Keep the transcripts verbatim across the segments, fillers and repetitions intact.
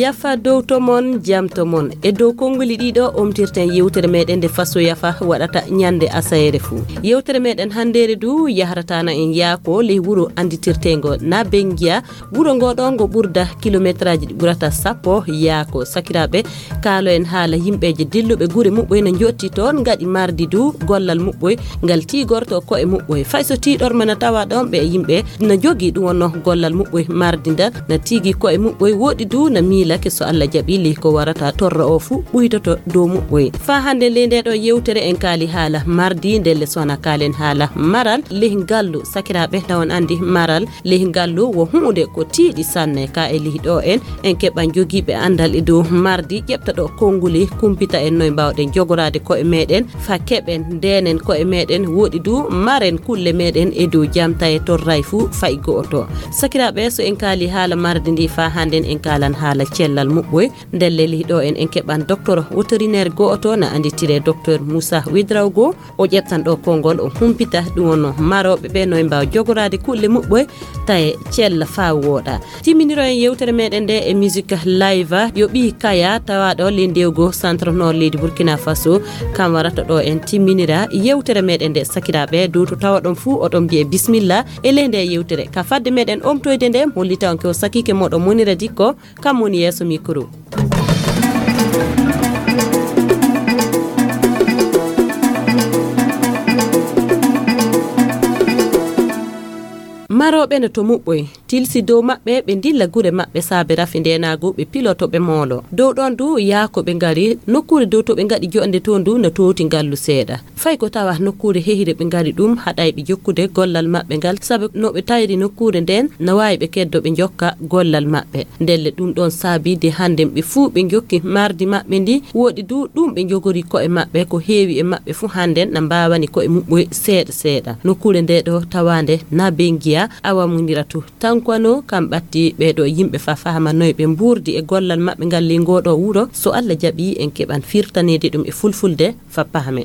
Yafa dow to mon, jam to mon. E dow konnguli ɗiɗo omtirten yewtere meɗen nde Faso Yafa waɗata ñande asayeere fuu. Yewtere meɗen hanndeere du yahrata na en yaako ley wuro annditirteengo na Bengiya. Wuro ngo ɗo ngo ɓurda kilometraaji ɗi ɓurata sappo yaako. Sakiraaɓe, kaalo en haala yimɓeeje dilluɓe gure muɓɓoy na njotti toon, ngaɗi mardi du gollal muɓɓoy ngal tiigorto ko'e muɓɓoy. Fay so tiiɗorma na tawa ɗon ɓe yimɓe na jogii ɗum wonno gollal muɓɓoy mardi ndan na tiigi ko'e muɓɓoy. Woɗi du na miilake so Allah jaɓi ley ko warata torra o fuu ɓuytoto dow muɓɓoy. Faa hannde ley nde ɗo yewtere en kaali haala mardi, ndelle sona kaalen haala maral ley ngallu. Sakiraaɓe, na on anndi maral ley ngallu wo huunde ko tiiɗi sanne. Ka e ley ɗo en, en keɓan jogiiɓe anndal e dow mardi, ƴeɓta ɗo konnguli, kumpita en noy mbaawɗen jogoraade ko'e meɗen, fa keɓen, ndenen ko'e meɗen, woɗi du maren kulle meɗen e dow jam taye torray fuu fay go'oto. Sakiraaɓe, so en kaali haala mardi ndi faa hannden en kaalan haala cellal muɓɓoy. Ndelle ley ɗo en, en keɓan docteur vétérinaire go'oto na annditire docteur Moussa Ouédraogo. O ƴettan ɗo konngol, o humpita ɗum wonno marooɓe ɓe no e mbaawa jogoraade kulle muɓɓoy taye cella faa wooɗa. Timminiro en yewtere meɗen nde e musique live. Yo ɓii Kaya tawaaɗo ley ndewgo centre nord leydi Burkina Faso, kam warata ɗo en timminira yewtere meɗen nde. Sakiraaɓe, dow to tawaɗon fuu oɗon mbiye bismilla e ley nde yewtere. Ka fadde meɗen omtoyde nde, hollita on ke o sakiike moɗon Monira Dikko, kam woni yeeso mikro. Marooɓe no to muɓɓoy, tilsi dow maɓɓe ɓe ndilla gure maɓɓe saabe rafi ndeenaagu, ɓe piloto ɓe moolo. Dow ɗoon du yaa ko ɓe ngari, nokkuure dow to ɓe ngaɗi joɗnde toon du no toowti ngallu seeɗa. Fay ko tawa nokkuure hehire ɓe ngari ɗum haɗayɓe jokkude gollal maɓɓe ngal, sabu no ɓe tayri nokkuure ndeen na waawi ɓe keddo ɓe njokka gollal maɓɓe. Ndelle ɗum ɗoon saabi de hannden ɓe fuu ɓe njokki mardi maɓɓe ndi, woɗi du ɗum ɓe njogori ko'e maɓɓe, ko heewi e maɓɓe fuu hannden na mbaawani ko'e muɓɓoy seeɗa seeɗa. Nokkuure nde ɗo tawaande na Bengiya, awa muniratu tankwano kam ɓatti ɓee ɗo yimɓe fa fahama noy ɓe mbuurdi e gollal maɓɓe ngal ley ngoo ɗo wuro. So Alla jaɓi en keɓan firtaneede ɗum e fulfulde fa pahamen.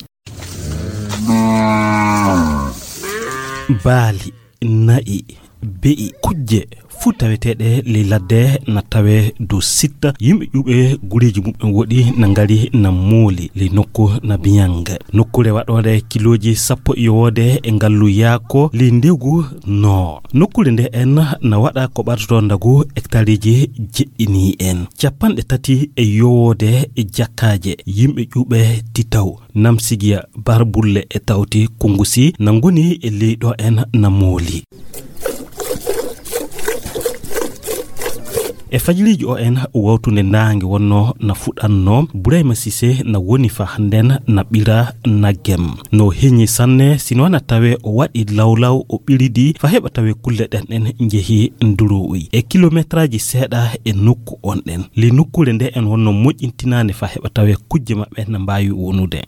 Baali, na'i, be'i, kujje fuu taweteeɗe ley ladde na tawee dow sitta. Yimɓe ƴuuɓe gureeji muɓɓen woɗi na ngari na mooli ley nokku na Biñang. Nokkuure waɗoore kilooji sappo yowoode e ngallu yaako ley ndegu no. Nokkuure nde en na waɗa ko ɓadotoo ndagu hektareeji jeɗɗini en. Capanɗe tati e yowoode e jakkaaje yimɓe ƴuuɓe titaw. Namsigiya, Barbulle e tawti Kunngusi na ngoni e ley ɗo en na mooli. E fajiriiji o en wawtunde ndaange wonno na fuɗanno, Burayma Sise na woni fa hannden na ɓira naggem. No heñi sanne, sino na tawe o waɗi lawlaw o ɓiridi fa heɓa tawe kulle ɗen ɗen njehi ndurowi e kilometraaji seeɗa e nokku on ɗen. Li nokkuure nde en wonno moƴƴintinaande fa heɓa tawe kujje maɓɓe na mbaawi wonude.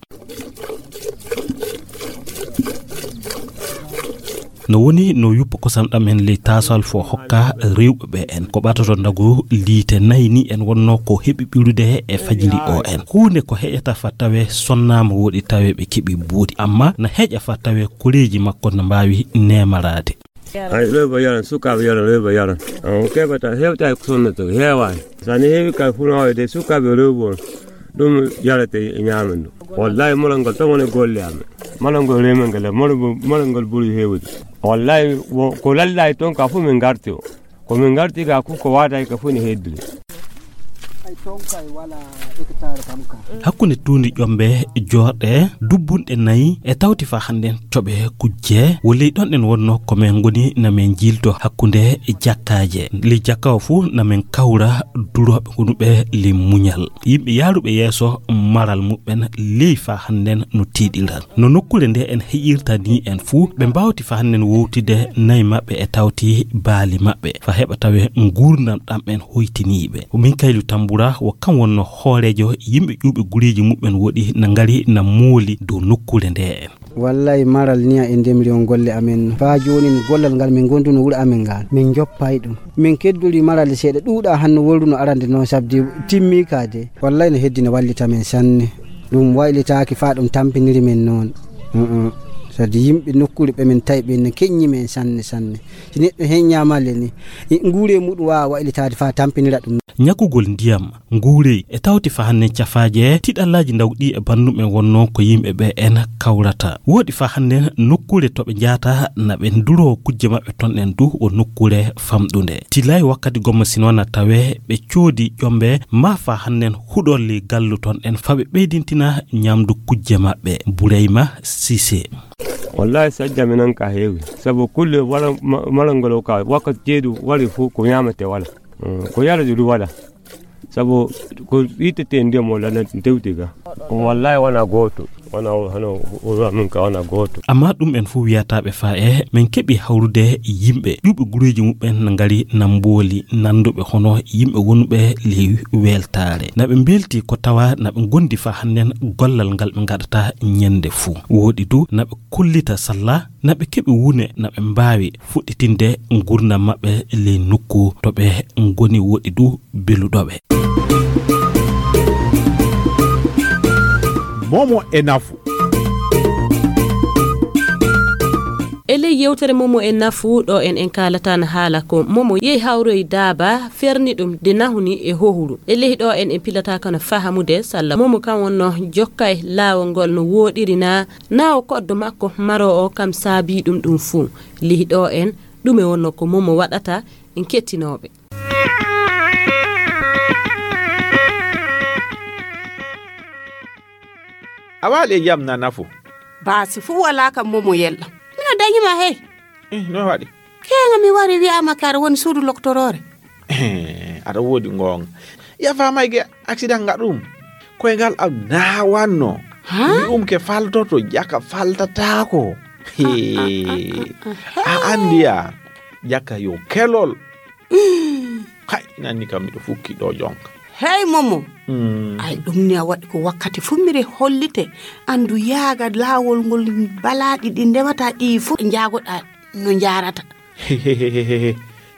No woni no yuppa kosam ɗam en ley taasal fo hokka rewɓe ɓe en. Ko ɓatoto ndagu liite nayi ni en wonno ko heɓi ɓirude e fajiri o en. Huunde ko heƴata fa tawe sonnaama woɗi tawe ɓe keɓi buuɗi. Amma na heƴa fa tawe koreeji makko na mbaawi neemaraade. Ay, rewɓe yaran, sukaaɓe yaran, rewɓe yaran. On keɓata, heewtaaki ko sonnata, heewaani. So ne heewi ka fulaaɓe de, sukaaɓe rewɓe on, ɗum yarate e ñaamen ɗum. Wallahi, molal ngol tan woni golle amen. Molal ngol remen ngol, molal ngol, molal ngol ɓuri heewde. Wallahi, wo, ko lallaay toon ka fof min ngarti o. Ko min ngarti ka fof ko waadaay ka fof ne heddude. Ay, toon kay wala hectare kam ka. Hakkunde tuundi ƴombe joorɗe dubbunɗe nayi e tawti fa hannden coɓe kujje, wo ley ɗon ɗen wonno ko men ngoni na men jiilto hakkunde jakkaaje. Ley jakka o fuu na men kawra durooɓe gonuɓe ley muñal. Yimɓe yaaruɓe yeeso maral muɓɓen ley fa hannden no tiiɗiral. No nokkuure nde en heƴirta ni en fuu, ɓe mbaawti fa hannden wowtide nayi maɓɓe e tawti baali maɓɓe, fa heɓa tawe nguurndam ɗam en hoytiniiɓe. Ko min Kaylu Tambura, wo kam wonno hooreejo yimɓe ƴuuɓe gureeji muɓɓen woɗi na ngari na mooli dow nokkuure nde en. Wallay maral niya e ndemri on golle amen. Faa joonin gollal ngal min ngonduno wuro amen ngal. Min njoppay ɗum. Min keddori maral seeɗa ɗuuɗa hanno wolruno arande noon sabdi timmi ka de. Wallay no heddino wallita men sanne. Ɗum waylitaaki faa ɗum tampiniri men noon. Mm, mm. Sabu yimɓe nokkuure ɓe min tawi ɓe ne keññi men sanne, sanne. Si neɗɗo heññaama le ni, i-, nguure muɗum waawa waylitaade faa tampinira ɗum. Ñakugol ndiyam, nguurey e tawti fa hannden cafaaje, tiɗallaaji ndaw ɗi e banndum en wonnoo ko yimɓe ɓe en kawrata. Wooɗi fa hannden nokkuure to ɓe njahata na ɓe nduroo kujje maɓɓe ton ɗen du o nokkuure famɗunde. Tilay wakkati gomma sino na tawee ɓe coodi ƴombe maa fa hannden huɗolli gallu ton ɗen fa ɓe ɓeydintina ñamdu kujje maɓɓe. Bureyma Sise. Wallahi sajja mi nan ka heewi. Sabu kulle wala ma-, malangol o ka wakkati ceedu wari fu ko ñaamete wala. Mm, ko yarde du wala. Sabu ko ittete ndiyam o lana tewti ga. Wallahi wana gooto. Wana o-, hano o-, o-, min ka wana gooto. Amma ɗum en fuu wiyataaɓe faa e men keɓi hawrude yimɓe ƴuɓe gureeji muɓɓen na ngari na mbooli nanduɓe hono yimɓe wonɓe ley weltaare. Na ɓe mbelti ko tawa na ɓe ngondi faa hannden gollal ngal ɓe ngaɗata ñande fuu. Wooɗi du na ɓe kollita salla na ɓe keɓi wune na ɓe mbaawi fuɗɗitinde ngurnam maɓɓe ley nokku to ɓe ngoni wooɗi du beluɗo ɓe. Momo e nafu. E ley yewtere Momo e nafu ɗo en en kaalata na haala ko Momo yehi hawroyi daaba ferni ɗum de nahuni e hohuru. E ley ɗo en en pilata kono fahamude salla Momo kan wonno jokkay laawol ngol no wooɗiri na, na o koddo makko maro o kam saabi ɗum ɗum fuu. Ley ɗo en ɗume wonno ko Momo waɗata en kettinooɓe. A waali e jam na nafu. Baasi fuu walaa kam Momo yella. Mino dañi ma hey. Eh, no waɗi? Keeŋa mi wari wi'aama kare woni suudu loktoroore. Eh, aɗa woodi ngoonga. Yafa may ge accident nga ɗum. Koyngal am naawanno. Ha? Mi um ke faltoto jaka faltataako. He. A andiya jaka yo kelol. Kay, nanni kam miɗo fukki ɗo jonka. Hey, Momo. Mm. Ay, ɗum ni a waɗi ko wakkati fuu mire hollite. Andu yaaga laawol ngol balaaɗi ɗi ndewata ɗi fuu njaagoɗaa no njaarata.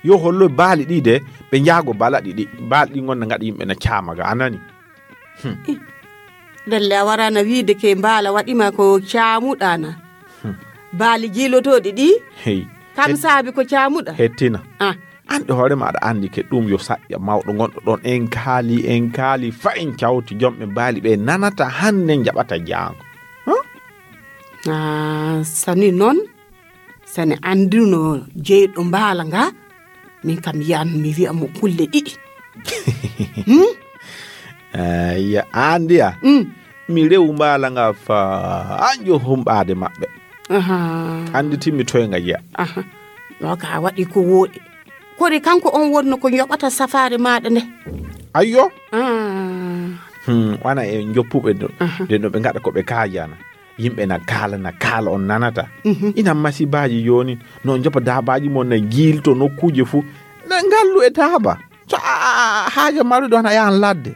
Yo hollo baali ɗi de, ɓe njaago balaɗi ɗi. Baali ɗi ngonda ngaɗa yimɓe na caama ga, a nani? Hmm. Ih, ndelle a warana wiide ke mbaala waɗima ko caamuɗa na. Hmm. Baali jiilotooɗi ɗi, hey. Kam saabi ko caamuɗa. Hettina. Ah. An ɗe hoore ma aɗa anndi ke ɗum yo saƴƴa mawɗo gonɗo ɗon. En kaali, en kaali, fa en cawti jom ɓe baali ɓe nanata hannde njaɓata jaango. Huh? Ah, sani noon, sani annduno jeyɗo mbaala nga, min kam yiyan mi wiya mo kulle ɗiɗi. Hmm? Eh, ya andiya. Mm. Mi rewu mbaala nga fa anjo humɓaade maɓɓe. Aha. Anditimmi toye nga jeya. Aha. Ɗo ka a waɗi ko wooɗi. Kori kanko on wonno ko yoɓata safaare maaɗa nde? Ayyo. Ah. Hmm, wana e joppuɓe ɗo. Aha. Nde no ɓe ngaɗa ko ɓe kaajana. Yimɓe na kaala, na kaala on nanata. Mhm. Ina masibaaji jooni no joppa daabaaji mon na jiilto nokkuuje fuu. Na ngallu e taaba. So a, a, a, haaja maruɗo hana yahan ladde.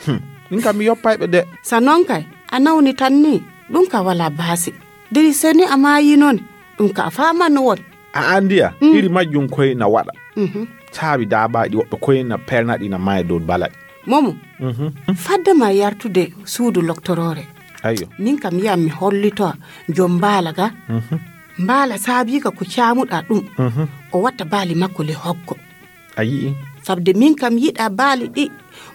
Hmm. Min kam mi yoppay ɓe de. Sa noon kay, a nawni tan ni, ɗum ka wala baasi. Diri seni a maayi noon, ɗum ka a faaman no won. A andiya, mm, iri majjum koy na waɗa. Mhm. Saabi daabaaji woɓɓe koy na pernaɗi na maya dow balaɗi. Momo, mhm, fadde ma yartude suudu loktoroore. Ayyo. Min kam yiyan mi hollito jom mbaala ga. Mhm. Mbaala saabiika ko caamuɗa ɗum. Mhm. O watta baali makko le hoggo. A yi'i? Sabde min kam yiɗa baali ɗi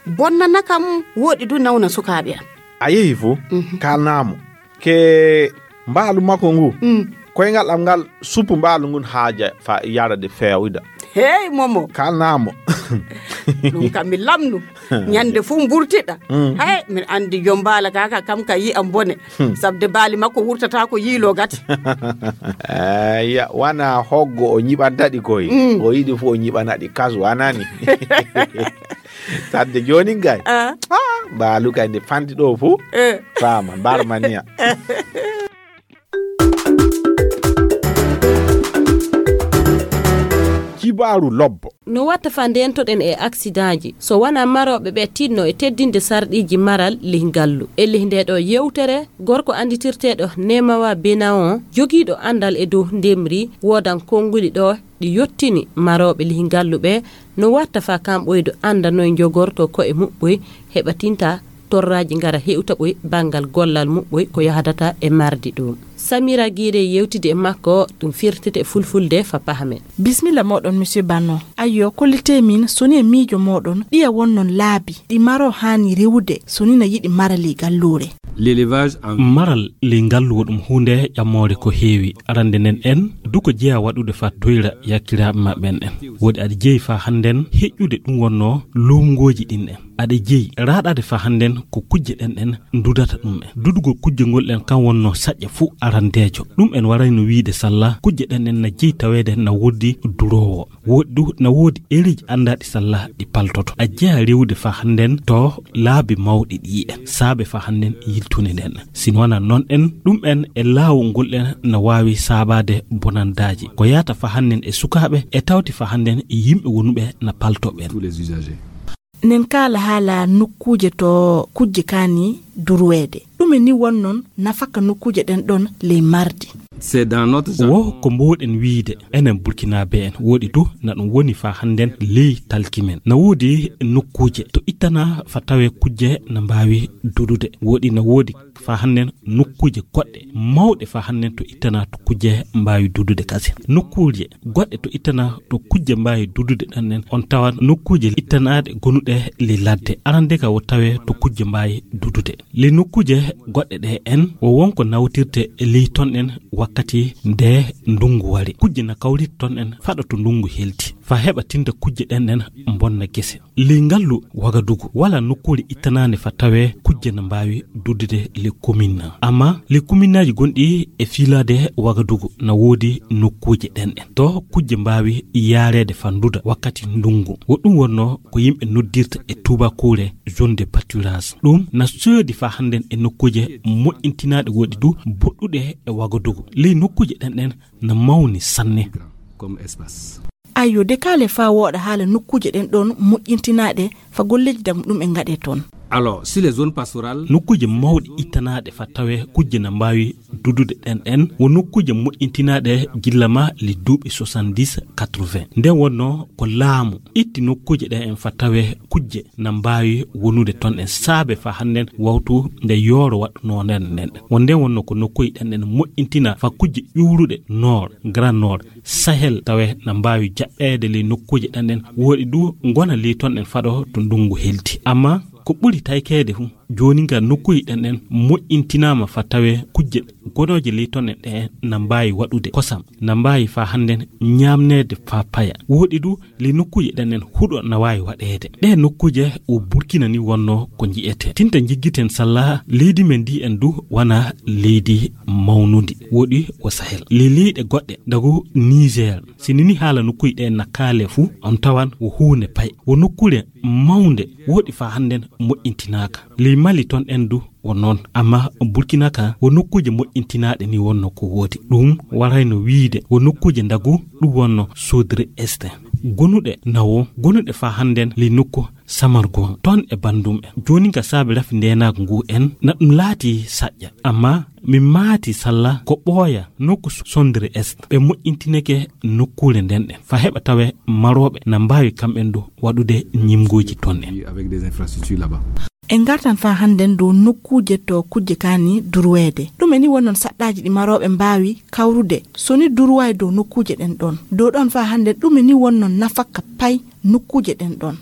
bonnana kam wooɗi du nawna sukaaɓe am. A yehi fuu, mhm, kaalnaa mo. Ke mbaalu makko ngu, mm, koyngal am ngal suppu mbaalu ngun haaja fa yara de feewida. Hey, Momo. Kaalnaa mo. Ɗum kam mi lamnu. Ñande fuu mburtiɗa. Mm. Hey, min andi jom mbaala ga ka kam ka yi'an bone. Hmm. Sabde baali makko wurtata ko yiilo gati. Eya, wana hoggo o ñiɓanta ɗi koy. Mm. O yiɗi fu o ñiɓana ɗi kasu, a nani? Sadde jooni gay. Ah. Ah, mbaalu kay nde fanti ɗo fu. Eh. Faama, barmaniya. Kibaaru lobbo. No watta fa ndentoɗen e aksidaaji, so wonaa marooɓe ɓe tinno e teddinde sarɗiiji maral lih ngallu. E lih nde ɗo yewtere, gorko annditirteeɗo Nemawa Benaon, jogiiɗo anndal e dow ndemri, woodan konnguli ɗo ɗi yottini marooɓe lih ngallu ɓe, no watta fa kamɓoy do annda noy njogorto ko'e muɓɓoy, heɓa tinta torraaji ngara hewta ɓoy banngal gollal muɓɓoy ko yahdata e mardi ɗum. Samira Gire yewtidi e makko, ɗum firtete e fulfulde fa pahamen. Bismilla moɗon, monsieur Banno. Ayyo, kollite min, soni e miijo moɗon, ɗiya wonnon laabi, ɗi maro haani rewude, soni na yiɗi mara ley galluure. L'élevage en Maral ley ngallu wo ɗum huunde ƴammoore ko heewi. Arande nden en, du ko jeya waɗude fa toyra yakkiraaɓe maɓɓen en. Woodi aɗa jeyi fa hannden heƴƴude ɗum wonno luumngooji ɗin en. Aɗa jeyi raaɗaade fa hannden ko kujje ɗen ɗen ndudata ɗum en. Dudugol kujje ngol ɗen kan wonno saƴƴa fuu arandeejo. Ɗum en warayno wiide salla kujje ɗen ɗen na jeyi taweede na woodi duroowo. Woodi du na woodi ereeji anndaaɗi salla ɗi paltoto. A jeya rewude fa hannden to laabi mawɗi ɗi en. Saabe fa hannden yiltune nden. Sino wana non en, ɗum en e laawol ngol ɗen na waawi saabaade bonandaaji. Ko yaata fa hannden e sukaaɓe e tawti fa hannden e yimɓe wonuɓe na palto ɓen. Tous les usagers. Nen kaala haala nokkuuje to kujje kaani durweede. Ɗume ni wonnon nafaka nokkuuje ɗen ɗon ley mardi? C'est dans notre Wo ko mboɗen wiide enen Burkinaaɓe en, woɗi du na ɗum woni fa hannden ley talki men. Na woodi nokkuuje to ittana fa tawe kujje na mbaawi dudude. Woɗi na woodi fa hannden nokkuuje goɗɗe mawɗe fa hannden to ittana to kujje mbaawi dudude kasen. Nokkuuje goɗɗe to ittana to kujje mbaawi dudude ɗan en, on tawa nokkuuje ittanaaɗe gonuɗe ley ladde. Arande ka wo tawe to kujje mbaawi dudude. Ley nokkuuje goɗɗe ɗe en, wo wonko nawtirte ley ton en wakkati nde ndungu wari. Kujje na kawrita ton en faɗa to ndungu helti. Fa heɓa tinta kujje ɗen en mbonna gese. Ley ngallu Wagadugu, wala nokkuure ittanaande fa tawe kujje na mbaawi dudude ley komin na. Amma ley kominnaaji gonɗi e fiilaade Wagadugu na woodi nokkuuje ɗen en. To kujje mbaawi yaareede fa nduda wakkati ndungu. Wo ɗum wonno ko yimɓe noddirta e tuubakuure zone de pâturage. Ɗum na soodi fa hannden e nokkuuje moƴƴintinaaɗe woɗi du boɗɗuɗe e Wagadugu. Ley nokkuuje ɗen en na mawni sanne. Comme espace. Ayyo, de kaale fa wooɗa haala nokkuuje ɗen ɗon moƴƴintinaaɗe fa golleeji dam ɗum e ngaɗe toon. Alors, si les zones pastorales. Nokkuuje mawɗe ittanaaɗe fa tawe kujje na mbaawi dudude ɗen en, wo nokkuuje moƴƴintinaaɗe gilla ma li duuɓi soixante-dix, quatre-vingts. Nde wonno ko laamu itti nokkuuje ɗe en fa tawe kujje na mbaawi wonude ton en saabe fa hannden wawtu nde yooro waɗunoo nden nden. Wo nde wonno ko nokkuuje ɗen en moƴƴintina fa kujje ƴuuruɗe Nord, Grand Nord, Sahel tawe na mbaawi jaɓɓeede ley nokkuuje ɗen ɗen. Woɗi du ngona ley ton en faɗo to ndungu helti. Amma ko ɓuri taykeede fu, jooni nga nokkuuje ɗen ɗen moƴƴintinaama fa tawe kujje gonooje ley ton en ɗe na mbaawi waɗude kosam, na mbaawi fa hannden ñaamneede fa paya. Woɗi du ley nokkuuje ɗen ɗen huɗo na waawi waɗeede. Ɗe nokkuuje wo Burkina ni wonno ko nji'eten. Tinta njiggiten salla leydi men ndi en du wana leydi mawnundi. Woɗi wo Sahel. Ley leyɗe goɗɗe, dagu Niger, si nini haala nokkuuje ɗe na kaale fu, on tawan wo huunde pay. Wo nokkuure mawnde woɗi fa hannden moƴƴintinaaka. Ley Mali ton en du wo noon. Amma Burkina ka wo nokkuuje moƴƴintinaaɗe ni wonno ko woodi. Ɗum warayno wiide wo nokkuuje ndagu ɗum wonno Sodre Est. Gonuɗe nawo, gonuɗe fa hannden ley nokku Samargon, ton e banndum en. Jooni ka saabi rafi ndeenaagu ngu en, na ɗum laati saƴƴa. Amma min maati salla ko ɓooya nokku Sondre Est. Ɓe moƴƴintineke nokkuure nden ɗen. Fa heɓa tawe marooɓe na mbaawi kamɓen du waɗude ñimngooji ton en. Avec des infrastructures là-bas. En ngartan fa hannden dow nokkuuje to kujje kaani durweede. Ɗume ni wonnon saɗɗaaji ɗi marooɓe mbaawi kawrude so ni durwaay dow nokkuuje ɗen ɗon? Dow ɗon fa hannden ɗume ni wonnon nafaka pay nokkuuje ɗen ɗon?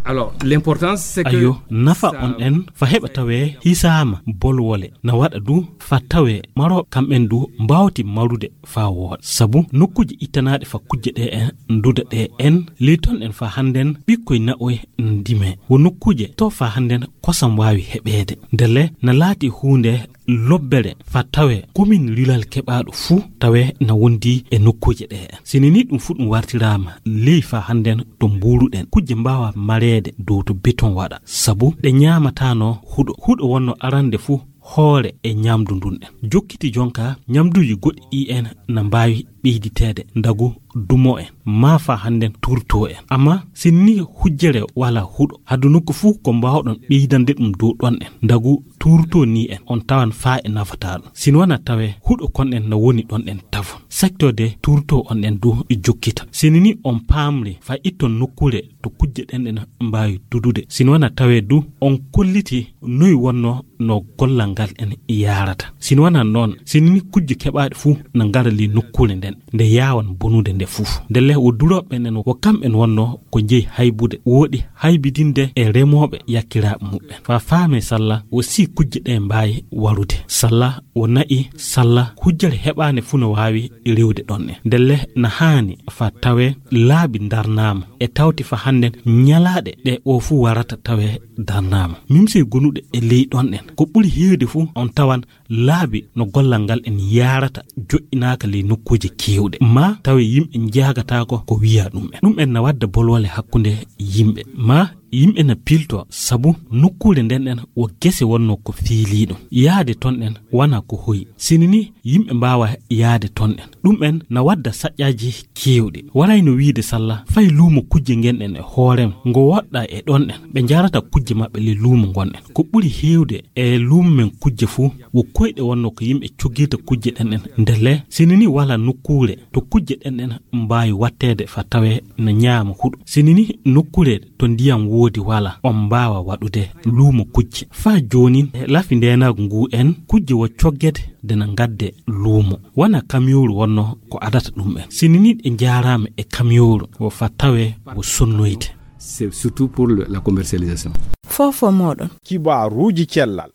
Alors, l'importance, c'est que Ayo, nafa on en fa heɓa tawe hisaama bolwole na waɗa du fa tawe maro kamɓen du mbaawti marude fa wooɗa. Sabu nokkuuje ittanaaɗe fa kujje ɗe en nduda ɗe en ley ton en fa hannden ɓikkoy naɓoy ndime. Wo nokkuuje to fa hannden kosam waawi heɓeede. Ndelle na laati huunde lobbere fa tawe komin lilal keɓaaɗo fuu tawe na wondi e nokkuuje ɗe en. Sini ni ɗum fuu ɗum wartiraama ley fa hannden to mbuuruɗen. Kujje mbaawa mareede dow to beton waɗa. Sabu ɗe ñaamataano huɗo. Huɗo wonno arande fuu hoore e ñamdu ndun ɗen. Jokkiti jonka ñamduuji goɗɗi ɗi en na mbaawi ɓeyditeede ndagu dumo en. maa faa hannden tuurtoo en. Amma si nii hujjere walaa huɗo, hadu nokku fuu ko mbaawɗon ɓeydande ɗum dow ɗon en. Ndagu tuurtoo nii en, on tawan faa e nafataa ɗum. Si nii wanaa tawee huɗo kon en na woni ɗon en tafon. Secteur de tuurtoo on en du e jokkita. Si nii on paamri faa itton nokkuure to kujje ɗen en mbaawi dudude. Si nii wanaa tawee du on kolliti noy wonnoo no gollal ngal en yaarata. Si nii wanaa noon, si nii kujje keɓaaɗe fuu na ngara ley nokkuure nden, nde yaawan bonude nde fuu. Ndelle wo durooɓe ɓen en wo kamɓe en wonnoo ko jeyi haybude, wooɗi haybidinde e remooɓe yakkiraaɓe muɓɓen. Faa faamee salla wo si kujje ɗe mbaawi warude. Salla wo na'i, salla hujjere heɓaande fuu no waawi rewde ɗon en. Ndelle na haani faa tawee laabi ndarnaama e tawti faa hannden ñalaaɗe ɗe o fuu warata tawee darnaama. Mimse gonuɗe e ley ɗon en. Ko ɓuri heewde fuu on tawan laabi no gollal ngal en yaarata joƴƴinaaka ley nokkuuje keewɗe. Maa tawee yimɓe njaagataako ko wiyaa ɗum en. Ɗum en na wadda bolwale hakkunde yimɓe. Maa yimɓe na piltoo sabu nokkuure nden en wo gese wonnoo ko fiiliiɗum. Yaade ton en wanaa ko hoyi. Si nii yimɓe mbaawa yaade ton en. Ɗum en na wadda saƴƴaaji keewɗi. Warayno wiide salla fay luumo kujje ngen en e hoorem ngo woɗɗaa e ɗon en. Ɓe njarata kujje maɓɓe ley luumo ngon en. Ko ɓuri heewde e luumo men kujje fuu, wo koyɗe wonnoo ko yimɓe cogirta kujje ɗen en. Ndelle, si nii walaa nokkuure to kujje ɗen en mbaawi watteede faa tawee na ñaama huɗo. Si nii nokkuure to ndiyam woodi walaa, on mbaawa waɗude luumo kujje. Faa joonin, e lafi ndeenaagu ngu en, kujje wo coggede de na ngadde luumo. Wanaa kamiyooru wonnoo ko adata ɗum en. Si nii ɗe njaaraama e kamiyooru, wo faa tawee wo sonnoyde. C'est surtout pour le- la commercialisation. Fof o mooɗon. Kibaaruuji cellal.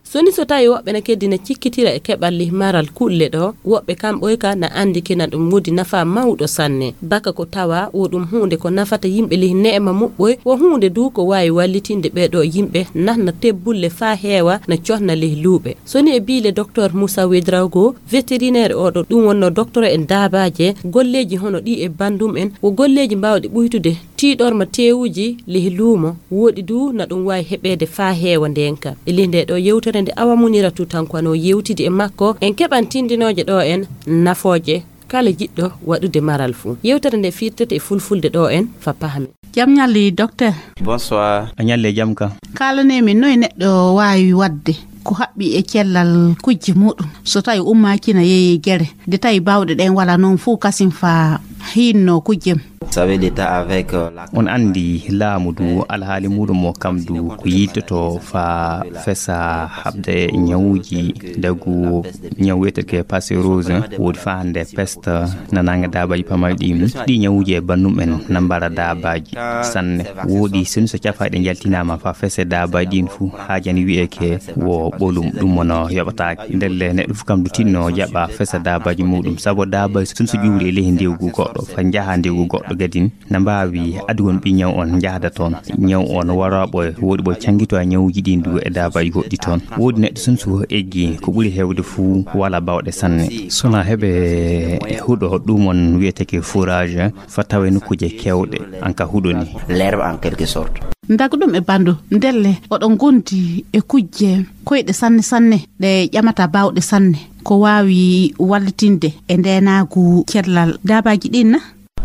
So ni so tawi woɓɓe na keddi na cikkitira e keɓal lih maral kulle ɗo, woɓɓe kamɓoy ka na anndi kina ɗum woodi nafa mawɗo sanne. Baka ko tawa wo ɗum huunde ko nafata yimɓe lih neema muɓɓoy, wo huunde du ko waawi wallitinde ɓee ɗo yimɓe nahna tebbulle faa heewa na cohna lih luuɓe. So ni e biile Docteur Moussa Ouedraogo, vétérinaire oɗo, ɗum wonno docteur en daabaaje, golleeji hono ɗi e bandum en, wo golleeji mbaawɗi ɓuytude tiiɗorma teewuji lih luumo, woɗi du na ɗum waawi heɓeede faa heewa ndeenka. E lih nde ɗo yewtere nde Awa Munira Tutankwano yewtidi e makko, en keɓan tindinooje ɗo en nafooje kala jiɗɗo waɗude maral fuu. Yewtere nde firtete e fulfulde ɗo en faa pahamen. Jam ñalli, docteur. Bonsoir. A ñalli e jam ka. Kaalanee min noy neɗɗo waawi waɗde ko haɓɓi e cellal kujje muɗum so tawi ummaaki na yeeyi gere, de tawi baawɗe ɗen wala noon fuu kasin faa hiinno kujjem. Vous savez, l'État avec, euh, la- On anndi laamu du alhaali muɗum o kam du ko yiltoto faa fesa haɓde ñawuji dagu ñaw wiyeteke peste rouge, woodi faa hannde peste na nanga daabaji pamari ɗi. Ɗi ñawuji e bannum en na mbara daabaji sanne. Woodi soni so cafaaɗe njaltinaama faa fese daabaji ɗin fuu haajani wiyeke wo ɓolum, ɗum mono yoɓataake. Ndelle neɗɗo fuu kam du tinno jaɓa fesa daabaji muɗum, sabu daabaji soni so ƴuuri e leydi ndewgu goɗɗo faa njaha ndewgu goɗɗo gadin, na mbaawi adugol ɓi ñaw on njahda toon. Ñaw on wara ɓoy, woodi ɓoy canngito e ñawuji ɗin du e daabaji goɗɗi toon. Woodi neɗɗo soni so eggi ko ɓuri heewde fuu wala baawɗe sanne. Sona heɓe huɗo ɗum on wiyeteke fourrage, faa tawe nokkuuje keewɗe, an ka huɗo ni. L'herbe en quelque sorte. Ndagu ɗum e bandu, ndelle oɗon ngondi e kujje koyɗe sanne sanne, ɗe ƴamata baawɗe sanne, ko waawi wallitinde e ndeenaagu cellal daabaji ɗin na?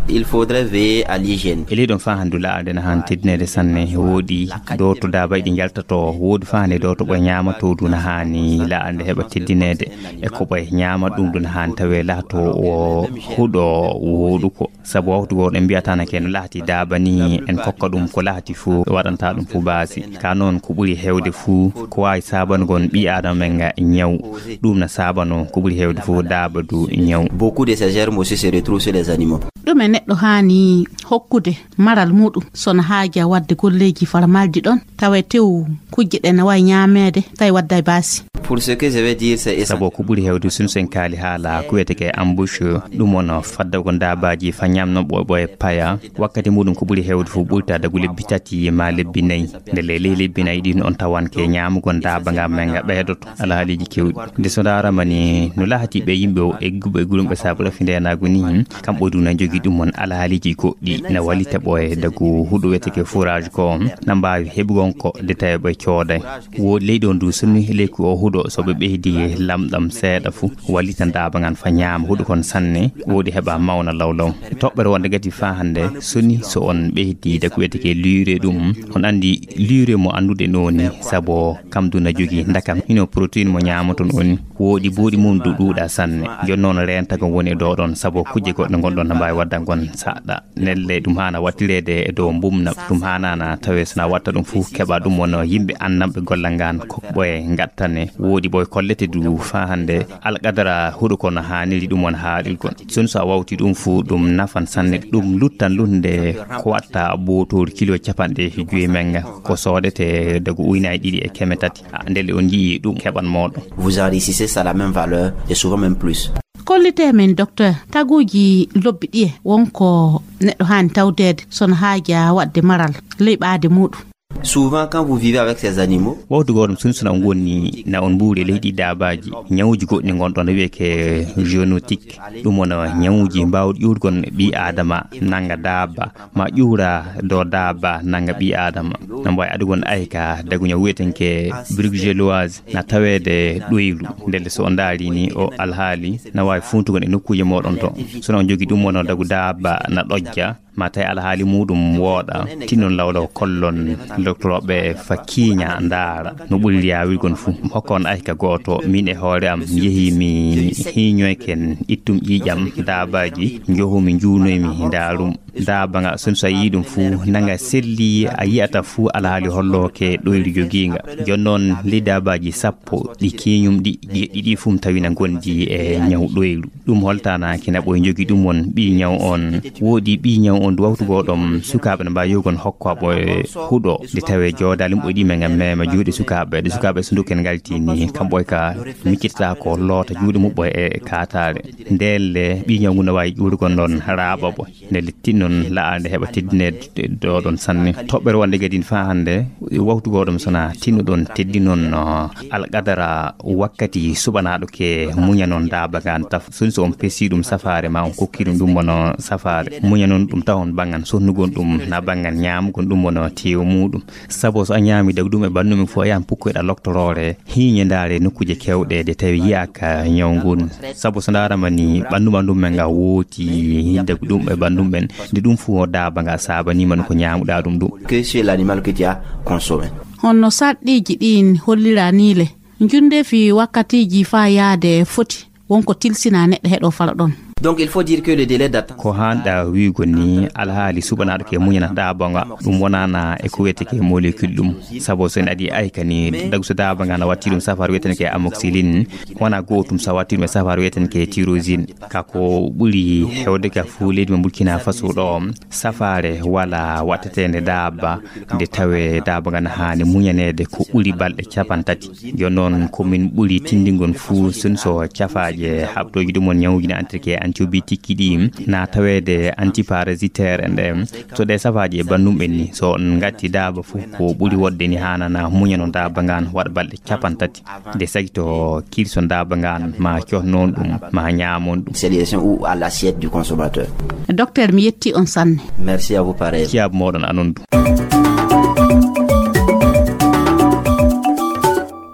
Il faudrait veiller à l'hygiène. E ley ɗon faa handu laaɗe na haan teddineede sanne, woodi dooto daabaji ɗi njaltato, woodi faa hannde dooto ɓoy ñaamato du na haani laaɗe heɓa teddineede, e ko ɓoy ñaama ɗum du na haan tawe laato o huɗo wooɗuko. Sabu wawtu goo ɗen mbiyata na ke no lahati daaba ni, en kokka ɗum ko lahati fuu, waɗanta ɗum fuu baasi. Ka noon ko ɓuri heewde fuu ko waawi saabanugol ɓii aadama men nga ñaw. Ɗum na saabano ko ɓuri heewde fuu daaba du ñaw. Beaucoup de ces germes aussi se retrouvent sur les animaux. Ɗum e neɗɗo haani hokkude maral muɗum so na haaja waɗde golleeji fara maldi ɗon, tawa e tew kujje ɗe na waawi ñaameede, tawi wadda e baasi. Pour ce que je vais dire, c'est essentiel. Sabu ko ɓuri heewde soni so en kaali haala ko wiyeteke embouche, ɗum woni faddago daabaaji faa ñaamno ɓoy ɓoy paya. Wakkati muɗum ko ɓuri heewde fof ɓurta dagu lebbi tati ma lebbi nayi. Ndelle ley lebbi nayi ɗin on tawan ke ñaamugol daaba nga men nga ɓeydoto alhaaliiji keewɗi. Nde so ndaarama ni no lahati ɓe yimɓe o egguɓe e gulumɓe sabu rafi ndeenaagu ni, kamɓe du na njogii ɗum on alhaaliiji goɗɗi na wallita ɓoye dagu huɗo wiyeteke fourrage ko na mbaawi heɓugol ko de tawi ɓe cooday. Woodi leyɗe on du sonni leyku o huɗo So ɓe ɓeydi lamɗam seeɗa fu, wallitan daaba ngan fa ñaama huɗo kon sanne, woodi heɓa mawna lawlaw. Toɓɓere wonde gadi faa hannde, soni so on ɓeydi dagu wiyete ke lure ɗum, on anndi lure mo annduɗen o ni, sabo kam du na jogii ndakam, hino protéine mo ñaamoton o ni, woodi buuɗi mum du ɗuuɗa sanne. Jooni noon reentago woni e dow ɗon, sabo kujje goɗɗe ngonɗon na mbaawi wadda ngon saɗɗa. Nelle ɗum haana wattireede e dow mbumna, ɗum haanaana tawee so na watta ɗum fu keɓa ɗum wona yimɓe annamɓe gollal ngal kokɓe ngattane. Woodi ɓoy kollete du faa hannde alqadara huɗo kono haaniri ɗum wona haaɗirgol. Sun so a wawti ɗum fu ɗum nafan sanne, ɗum luttan lunnde ko watta bootoori kilo capanɗe joyi menga ko soodete dagu uynaaji ɗiɗi e keme tati. Ah, ndelle on njii ɗum keɓan mooɗon. Vous enrichissez ça la même valeur et souvent même plus. Kollite men, docteur, taguuji lobbi ɗiye wonko neɗɗo haani tawdeede so no haaja waɗde maral ley ɓaade muuɗum? Souvent, quand vous vivez avec ces animaux, wawtu gooto ɗum sunsuna on ngoni na on mbuuri e leydi daabaaji, ñawuji goɗɗi ngonɗon no wiyee ke zoonotique. Ɗum wona ñawuji mbaawɗi ƴuurgon ɓii aadama nannga daaba, ma ƴuura dow daaba nannga ɓii aadama. Na mbaawi adugol ayka dagu ñaw wiyetenke bruxelloise na taweede ɗoylu. Ndelle so on ndaari ni o alhaali na waawi fuuntugol e nokkuuje mooɗon to. So on jogi ɗum wona dagu daaba na ɗojja, ma tawi alhaali muuɗum wooɗa, tinnon lawlaw kollon doktorooɓe fa kiiña ndaara no ɓuri yaawirgon fuu. Hokka on ayka gooto, min e hoore am yehi mi hiiñoyken ittum ƴiiƴam daabaaji, njohu mi njuunoy mi ndaarum. Daaba nga sun so a yii ɗum fuu nanga selli a yi'ata fuu alhaali hollooke ɗoyru jogiinga. Jooni noon ley daabaaji sappo ɗi kiiñum ɗi jeɗɗi ɗi fuu mi tawina ngondi e ñaw ɗoyru. Ɗum holtaanaaki na ɓoy njogi ɗum won ɓii ñaw on. Woodi ɓii ñaw on du wawtu goo ɗom sukaaɓe no mbaawi yogon hokko ɓoy huɗo. Nde tawee joodaali muɓɓoy ɗi men ngam meema juuɗe sukaaɓe. Ɗe sukaaɓe so nduken ngalti ni kam ɓoy ka miccitata ko loota juuɗe muɓɓoy e kaataare. Ndelle ɓii ñaw ngu no waawi ƴuurugol ɗon raaɓa ɓoy. Nde littinnon la'ande heɓa teddineede ɗo ɗon sanne. Toɓɓere wonde gadin faa hannde, wawtu goo ɗum sona tinnuɗon teddinon, no, alqadara wakkati suɓanaaɗo ke muñanon daaba ngaan taf. Sun so on pesi ɗum safaare ma on kokki ɗum ɗum wona safaare. Muñanon ɗum tawon banngan sonnugol ɗum na banngan ñaamugol ɗum wona teewu muuɗum. Sabo so a ñaami dagu ɗum e bannumi fof a yahan pukkoyɗa loktoroore. Hiiñe ndaare nokkuuje kewɗe de tawi yiyaaka ñaw ngun. Sabu so ndaarama ni ɓanndu ɓanndu men nga wooti dagu ɗum e ɓanndu men. Nde ɗum fuu o daaba nga saabaniima no ko ñaamuɗaa ɗum ɗum. Que sur l'animal que tu as consommé. Honno sarɗiiji ɗin hollira ni le? Njunde fi wakkatiiji faa yaade foti wonko tilsina neɗɗo heɗo fala ɗon. Donc il faut dire que le délai d'attente. Ko haanɗa wi'ugo ni alhaali suɓanaaɗo ke muñana daaba nga ɗum wonaana e ko wiyetee ke molécule ɗum. Sabu so en adii ayka ni dagu so daaba nga na watti ɗum safaara wiyetee ke amoxicilline, wona gootum so a watti ɗum e safaara wiyetee ke tyrosine. Ka ko ɓuri hewde ka fuu leydi mo Burkina Faso ɗo safaare wala watteteende daaba nde tawee daaba nga na haani muñaneede ko ɓuri balɗe capanɗe tati. Yo noon ko min ɓuri tinndingol fuu sun so cafaaje haɓtooji ɗum won ñawuji na antirke antibiotique ɗi na taweede antiparasitaire en ɗe. So ɗe safaaji e bannum ɓen ni so on ngatti daaba fuu ko ɓuri wodde ni haanana muñano daaba ngan waɗa balɗe capanɗe tati. Nde sagito kirson daaba ngan ma cohnon ɗum ma ñaamon ɗum. C'est les ou à l'assiette du consommateur. Docteur, mi yetti on sanne. Merci à vous pareil. Ciyaabu mooɗon anon du.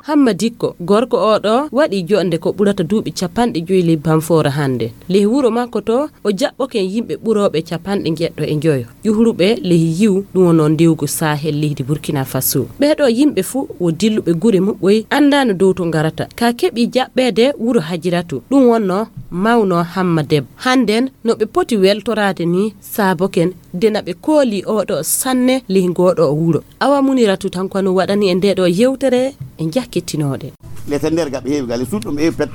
Hamma Dikko, gorko oo ɗoo waɗii joɗnde ko ɓurata duuɓi capanɗe joyi ley Bamfoora hannde. Ley wuro makko too, o jaɓɓoke yimɓe ɓurooɓe capanɗe njeɗɗo e njoyo, ƴuhruɓe ley yiwu, ɗum wonoo ndewgu Sahel leydi Burkina Faso. Ɓee ɗoo yimɓe fuu wo dilluɓe gure muɓɓoy, anndaano dow to ngarata. Ka keɓii jaɓɓeede wuro Hajiratu, ɗum wonnoo mawnoo Hamma Debbo. Hannden no ɓe poti weltoraade nii, saaboken de na ɓe koolii oo ɗoo sanne ley ngoo ɗoo wuro. Awa Muniratu tan ko no waɗani en ndee ɗoo yewtere, en njakkittinooɗe. Lete nder gaɓe heewi gale suuɗɗum heewi pet.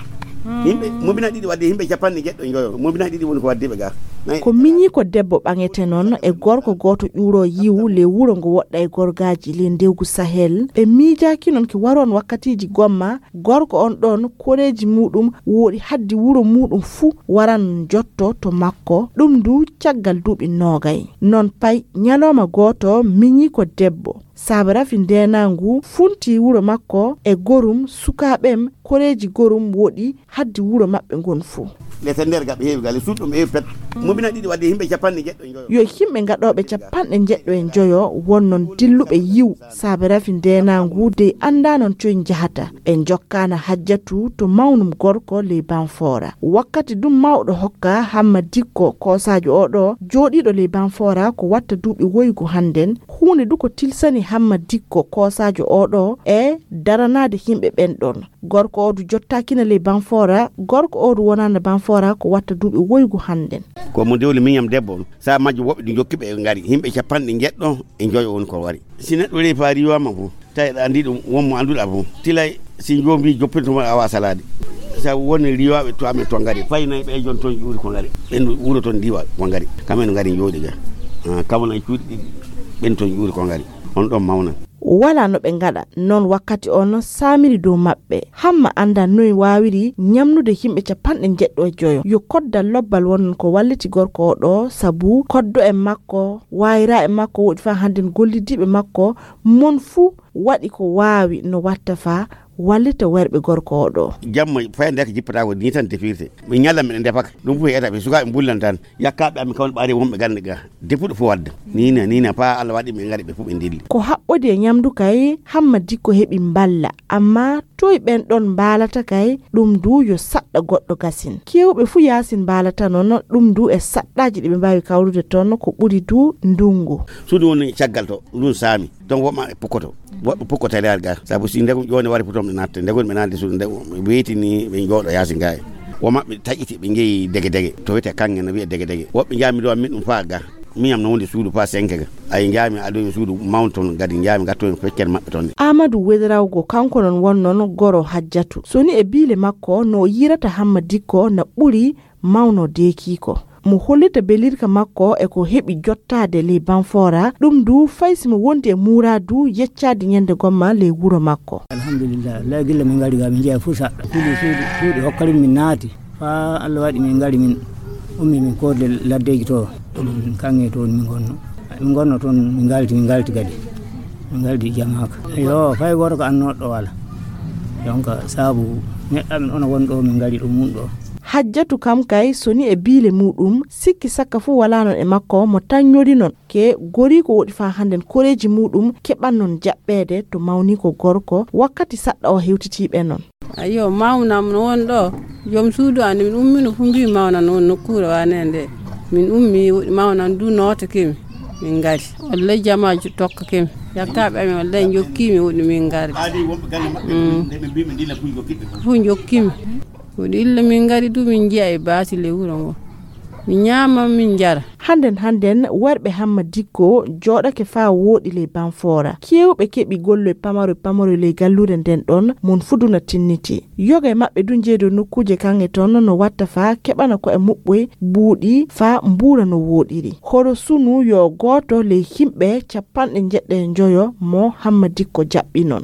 Yimɓe mobina ɗiɗi wadde yimɓe capanɗe jeɗɗo e njoyo. Mobina ɗiɗi woni ko waddi ɓe ga. Ko miñi ko debbo ɓaŋete noon e gorko gooto ƴuuroo yiwu ley wuro ngo woɗɗa e gorgaaji ley ndewgu Sahel. Ɓe miijaaki noon ki waroon wakkatiiji gomma, gorko on ɗoon koreeji muuɗum wooɗi haddi wuro muuɗum fuu waran jotto to makko. Ɗum du caggal duuɓi noogay. Noon pay ñalooma gooto miñi ko debbo. Saabe rafi ndeenaangu funti wuro makko e gorum sukaaɓem koreeji gorum woɗi haddi wuro maɓɓe ngon fuu. Lete nder gaɓe heewi gale suuɗum e pet. Mobina ɗiɗi wadde yimɓe capanɗe jeɗɗo e njoyo. Yo yimɓe gaɗooɓe capanɗe jeɗɗo e njoyo won noon dilluɓe yiw saabe rafi ndeenaangu dey anndaa noon coy njahata. Ɓe njokkaana Hajjatu to mawnum gorko ley Banfoora. Wakkati ɗum mawɗo hokka Hamma Dikko koosaajo oo ɗoo jooɗiiɗo ley Banfoora ko watta duuɓi woygu hannden. Huunde du ko tilsani Hamma Dikko koosaajo oo ɗoo e daranaade yimɓe ɓen ɗon. Gorko oo du jottaakina ley Banfoora, gorko oo du wonaana Banfoora ko watta duuɓi woygu hannden. Ko mo dewle miñam debbo on. Sa majjo woɓɓe ɗi jokki ɓe ngari. Yimɓe capanɗe jeɗɗo e njoyo woni ko wari. Si neɗɗo reefa riiwaama fof, tawi aɗa anndi ɗum, won mo annduɗa fof. Tilay si joombi joppirto mo awa salaade. Sabu woni riiwaaɓe to amen to ngari. Fay nayi ɓe jon toon ƴuuri ko ngari. Ɓen wuro toon ndiwa ko ngari. Kamen no ngari njooɗi ga. Ah, kamana e cuuɗi ɗiɗi. Ɓen toon ƴuuri ko ngari. On ɗon mawna. Walaa no ɓe ngaɗa. Noon wakkati on saamiri dow maɓɓe. Hamma anndaa noy waawiri ñamnude yimɓe capanɗe jeɗɗo e joyo. Yo koddal lobbal wonno ko walliti gorko oo ɗoo, sabu koddo e makko, waayira e makko, woɗi faa hannden gollidiiɓe makko, mon fuu waɗi ko waawi no watta faa wallita werɓe gorko oo ɗoo. Jamma fay ndeke jippata ko ni tan defirte. Mi ñalla miɗen defaka. Ɗum fof e état ɓe sukaaɓe mbullan tan. Yakkaaɓe amin kawle ɓaari wonɓe gannde ga. Depuɗo fof wadda. Nina, nina, faa Allah waɗi ɓe ngari ɓe fof ɓe ndilli. Ko haɓɓodi e ñamdu kay, Hamma Dikko heɓi mballa. Amma toy ɓen ɗon mbaalata kay, ɗum du yo saɗɗa goɗɗo gasin. Keewɓe fuu yaasin mbaalata noon, ɗum du e saɗɗaaji ɗi ɓe mbaawi kawrude toon, ko ɓuri du ndunngu. Suudu woni caggal to, ɗum saami. Toon woɓɓe maɓɓe pukkoto. Woɓɓe pukkoto e leer ga. Sabu si ndegum ƴoone wari fu toon ɓe natta. Ndegum ɓe natta suudu, ndegum ɓe weyti ni ɓe njooɗo yaasi ga. Wo maɓɓe taƴiti ɓe njeyi dege dege. To wiyetee kaŋŋe no wiya dege dege. Woɓɓe njaami ɗo min ɗum faa ga. Miñam no wondi suudu faa senke ga. Ay njaami adoyi suudu mawno toon gadi njaami gattoyi feccere maɓɓe toon. Aamadu Wedrawgo kanko noon won noon goro Hajjatu. So ni e biile makko no o yiirata Hamma Dikko na ɓuri mawno deekiiko. Mo hollita belirka makko e ko heɓi jottaade ley Banfoora, ɗum du fay si mo wondi e muuraadu yeccaade ñande gomma ley wuro makko. Alhamdulillah, lay gilla min ngari ga min njeya fuu saɗɗa. Fuli suuɗi, suuɗi hokkarin min naati. Faa Allah waɗi min ngari min ummi min koodle laddeeji to. Ɗum kaŋŋe to min ngonno. Min ngonno toon min ngalti, min ngalti kadi. Min ngalti jamaaka. Yo, fay gooto ko annooɗo ɗo wala. Donc, sabu neɗɗo amin ono won ɗo min ngari ɗum mun ɗo. Hajjatu kam kay so ni e biile muɗum, sikki sakka fuu walaa non e makko mo taññori non. Ke gorii ko woɗi faa hannden koreeji muɗum keɓan non jaɓɓeede to mawniiko gorko wakkati saɗɗa o hewtitii ɓe non. Ayyo, mawnam no won ɗo. Joom suudu an, min ummino fu mbi mawnan on nokkuure wane nde. Min ummi, woɗi mawnan du nootake mi. Min ngari. Wallay jamaaji tokkake mi. Yakkaaɓe amin wallay njokki mi, woɗi min ngari. Fu njokki mi. Woɗi illa min ngari du min njiya e baati le wuro ngo. Mi ñaama, min njara. Hannden, hannden, warɓe Hamma Dikko jooɗake faa wooɗi ley Banfoora. Keewɓe keɓi golloy pamaroy pamaroy ley galluure nden ɗon, mon fuu du na tinniti. Yoga e maɓɓe du njeedo nokkuuje kaŋŋe ton no watta faa keɓana ko'e muɓɓoy buuɗi faa mbuura no wooɗiri. Horo sunu yo gooto ley himɓe capanɗe njeɗɗe e njoyo mo Hamma Dikko jaɓɓi non.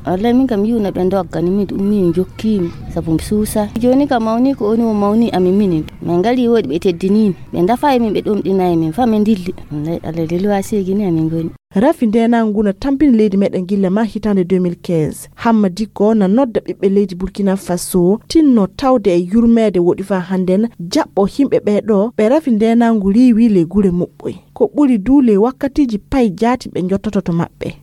Wallay min kam yiwna ɓe doggani min ɗum min jokkimi sabu mi suusa. Joni kam mawni ko oni o mawni amin minin. Min ngari woɗi ɓe teddinimi. Ɓe dafa e min ɓe ɗomɗina e min fa min dilli. Wallay Allah lelwa seegini amin ngoni. Rafi ndenangu na tampini leydi meɗen gilla ma hitande deux mille quinze. Hamma Dikko na nodda ɓiɓɓe leydi Burkina Faso tinno tawde e yurmeede woɗi fa hannden jaɓɓo himɓe ɓe ɗo ɓe rafi ndenangu riiwi ley gure muɓɓoy. Ko ɓuri du ley wakkatiji pay jaati ɓe jottoto to maɓɓe.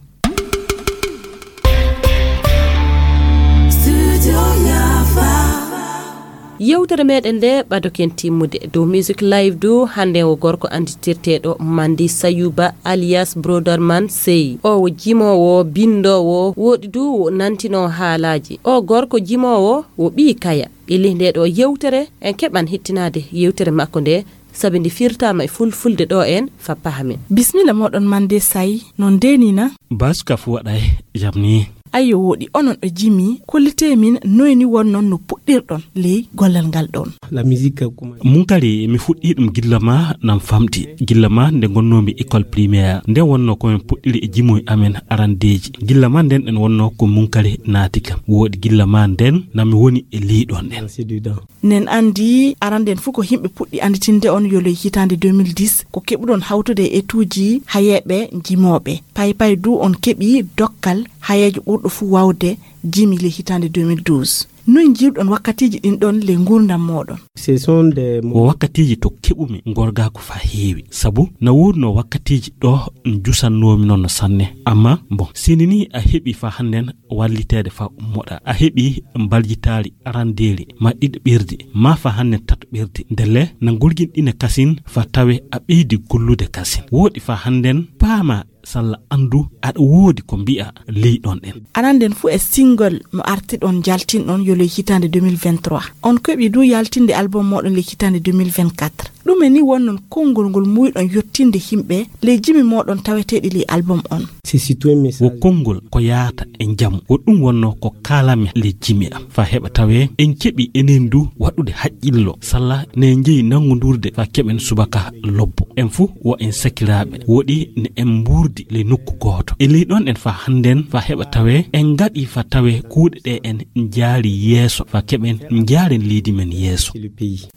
Yewtere meɗen nde ɓadoken timmude dow music live du hande o gorko anditirteɗo Mandi Sayuba alias Brother Man Sey. O wo jimowo, bindowo, woɗi du wo nantino haalaji. O gorko jimowo wo ɓii kaya. Ɓilli nde ɗo yewtere en keɓan hittinade yewtere makko nde sabi ndi firtama e fulfulde ɗo en fappa hamin. Bismilla moɗon Mande Say, non denina. Basuka fu waɗa e jamni. Ayo wooɗi, onon ɓe jimi, kollitee min noy ni wonnon no puɗɗirɗon ley gollal ngal ɗon. La musique, comment? Munkari, mi fuɗɗii ɗum gilla ma nan famɗi. Gilla ma nde ngonnoomi école primaire, nden wonno ko min puɗɗiri e jimoy amen arandeeji. Gilla ma nden ɗen wonno ko Munkari naati kam. Wooɗi gilla ma nden na mi woni e leyɗon ɗen. C'est dedans. Nen anndi aranden fuu ko yimɓe puɗɗi annditinde on yo ley hitaande deux mille dix, ko keɓuɗon hawtude e etuuji hayeeɓe jimooɓe. Pay pay du on keɓi dokkal hayeejo ɓurɗo fuu waawde jimi ley hitaande deux mille douze. Noy njiiruɗon wakkatiiji ɗin ɗon ley nguurndam mooɗon? Ce sont des mo- Ko wakkatiiji to keɓumi ngorgaaku faa heewi. Sabu na woodunoo wakkatiiji ɗo njusannoomi noon no sanne. Amma, bon, sini ni a heɓi faa hannden walliteede faa ummoɗaa. A heɓi mbaljitaari arandeeri, ma ɗiɗaɓirdi, ma faa hannden tataɓirdi. Ndelle na ngorginɗine kasin faa tawe a ɓeydi gollude kasin. Wooɗi faa hannden paamaa salla anndu aɗa woodi ko mbi'a ley ɗon ɗen. Aranden fuu e single mo artiɗon jaltinɗon yo ley hitaande deux mille vingt-trois. On keɓi du yaltinde album mooɗon ley hitaande deux mille vingt-quatre. Ɗume ni wonnon konngol ngol muuyɗon yottinde yimɓe ley jimi mooɗon taweteeɗi ley album on? C'est surtout un message. Wo konngol ko yaata e njamu. Wo ɗum wonno ko kaalami ley jimi am. Faa heɓa tawee en keɓi enen du waɗude haqqillo. Salla ne njeyi nanngondurde faa keɓen subaka lobbo. En fuu wo en sakiraaɓe. Woɗi ne en mbuurdi ley nokku gooto. E ley ɗon en faa hannden faa heɓa tawee en ngaɗi faa tawee kuuɗe ɗe en njaari yeeso faa keɓen njaaren leydi men yeeso.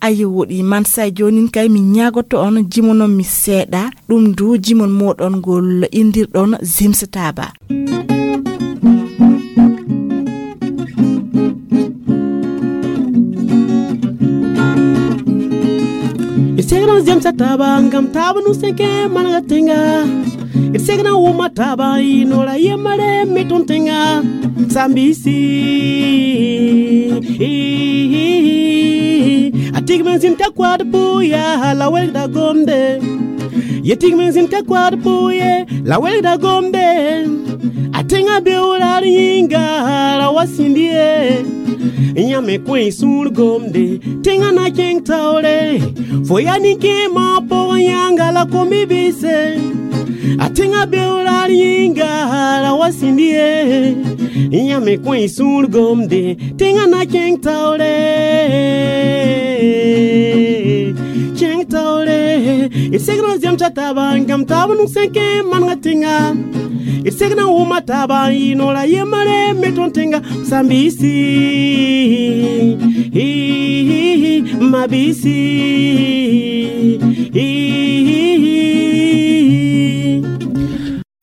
Ayo woɗi, Mansay, joonin kay mi ñaagoto on jimonon mi seeɗa, ɗum du jimon mooɗon ngol inndirɗon Zimsataaba. Itegna Zimsataaba ngam taaba nu senke manga tenga. Itegna wuma taaba inola yemare meton tenga. Sambisi. Atig men sin takwad buya la welda gombe. Yetig men sin takwad buye la welda gombe. Atenga be ular yinga la wasindie. Nyame kwen sur gombe. Tenga na keng taure. Foya ni ke ma po yanga la komi bise. Atenga be ular yinga la wasindie. Nyame kwen sur gombe. Tenga na keng taure. Keng taure. Itegna Zimsataaba ngam taaba nu senke manga tenga. Itegna wuma taaba inola yemare meton tenga. Sambisi. Hi, hi, hi, mabisi. Hi, hi, hi, hi.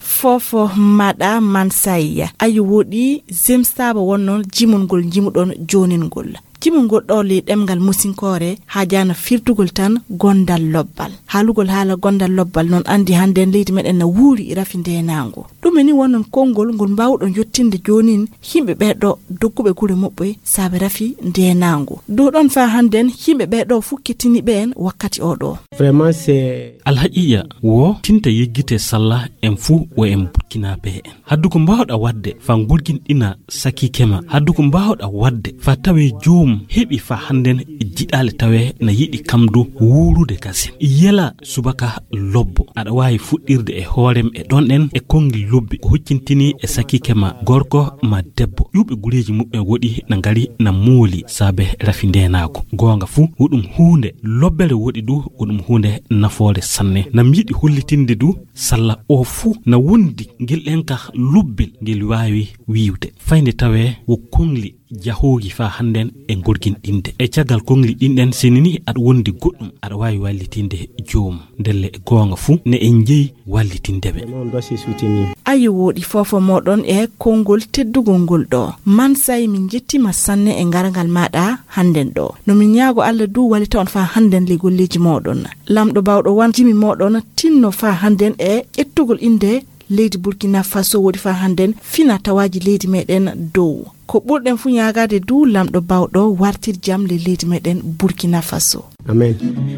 Fofo maɗa Mansay. Ayo woɗi, Zimsataaba wonnon jimol ngol jimuɗon joonin ngol. Jimol ngol ɗo ley ɗemngal musinkoore haajaana firtugol tan gondal lobbal. Haalugol haala gondal lobbal noon anndi hannden leydi meɗen na wuuri rafi ndeenaango. Ɗume ni wonnon konngol ngol mbaawɗon yottinde joonin yimɓe ɓee ɗo dogguɓe gure muɓɓe saabe rafi ndeenaango? Dow ɗon faa hannden yimɓe ɓee ɗo fuu kettini ɓeen wakkati oo ɗo. Vraiment, c'est Alhaqiiqa wo tinta yeggite salla en fuu wo en Burkinaaɓe en. Haddu ko mbaawɗa waɗde faa ngurginɗina sakiike ma. Haddu ko mbaawɗa waɗde faa tawee joomum heɓi faa hannden jiɗaale tawee na yiɗi kam du wuurude kasen. Yela subaka lobbo. Aɗa waawi fuɗɗirde e hoorem e ɗon ɗen e konngi lobbi ko huccintinii e sakiike ma gorko ma debbo. Ƴuuɓe gureeji muɓɓen woɗi na ngari na mooli saabe rafi ndeenaagu. Goonga fuu, wo ɗum huunde lobbere woɗi du, wo ɗum huunde nafoore sanne. Na mi yiɗi hollitinde du, salla o fuu na wondi ngel ɗen ka lobbil ngel waawi wiiwde. Fayde tawee wo kongli jahoogi faa hannden e ngorginɗinde. E caggal kongli ɗin ɗen, sini ni aɗa wondi goɗɗum, aɗa waawi wallitinde joomum. Ndelle e goonga fuu, ne en jeyi wallitinde ɓe. Vraiment, on doit se soutenir. Ayo woɗi fofo mooɗon e konngol teddugol ngol ɗo. Mansay, min njettiima sanne e ngargal maaɗa hannden ɗo. No min ñaago Alla du wallita on faa hannden ley golleeji mooɗon. Lamɗo baawɗo wan jimi mooɗon tinno faa hannden e ƴettugol innde leydi Burkina Faso woɗi faa hannden fina tawaaji leydi meɗen dow. Ko ɓurɗen fuu ñaagaade du Lamɗo baawɗo wartir jam ley leydi meɗen Burkina Faso. Amen.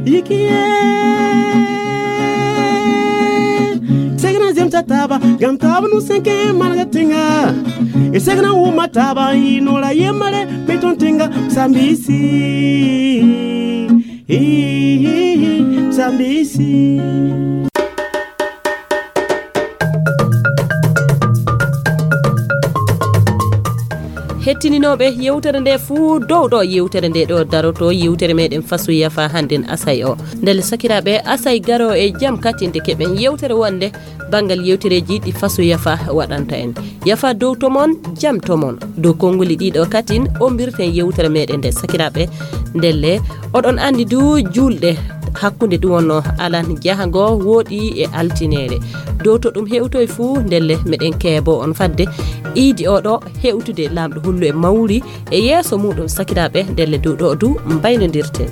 Yikiye. Segna zemta taba, gam taba nu senke marga tinga. E segna wuma taba, inola yemare, beton tinga, sambisi. Hi, hi, hi, sambisi. Hettininooɓe yewtere nde fuu, dow ɗo yewtere nde ɗo daroto, yewtere meɗen Faso Yafa hannden Asay o. Ndelle sakiraaɓe, Asay garo e jam katinde keɓen yewtere wonde banngal yewtereeji ɗi Faso Yafa waɗanta en. Yafa dow to mon, jam to mon. Dow konngoli ɗiɗo katin ombirten yewtere meɗen nde sakiraaɓe. Ndelle, oɗon anndi du juulɗe hakkunde ɗum wonno alan jahango wooɗi e altineere. Dow to ɗum hewtoy fuu, ndelle meɗen keebo on fadde iidi oɗo hewtude Laamɗo Hullu e mawri e yeeso muɗum sakiraaɓe, ndelle dow ɗo du mbaynodirten.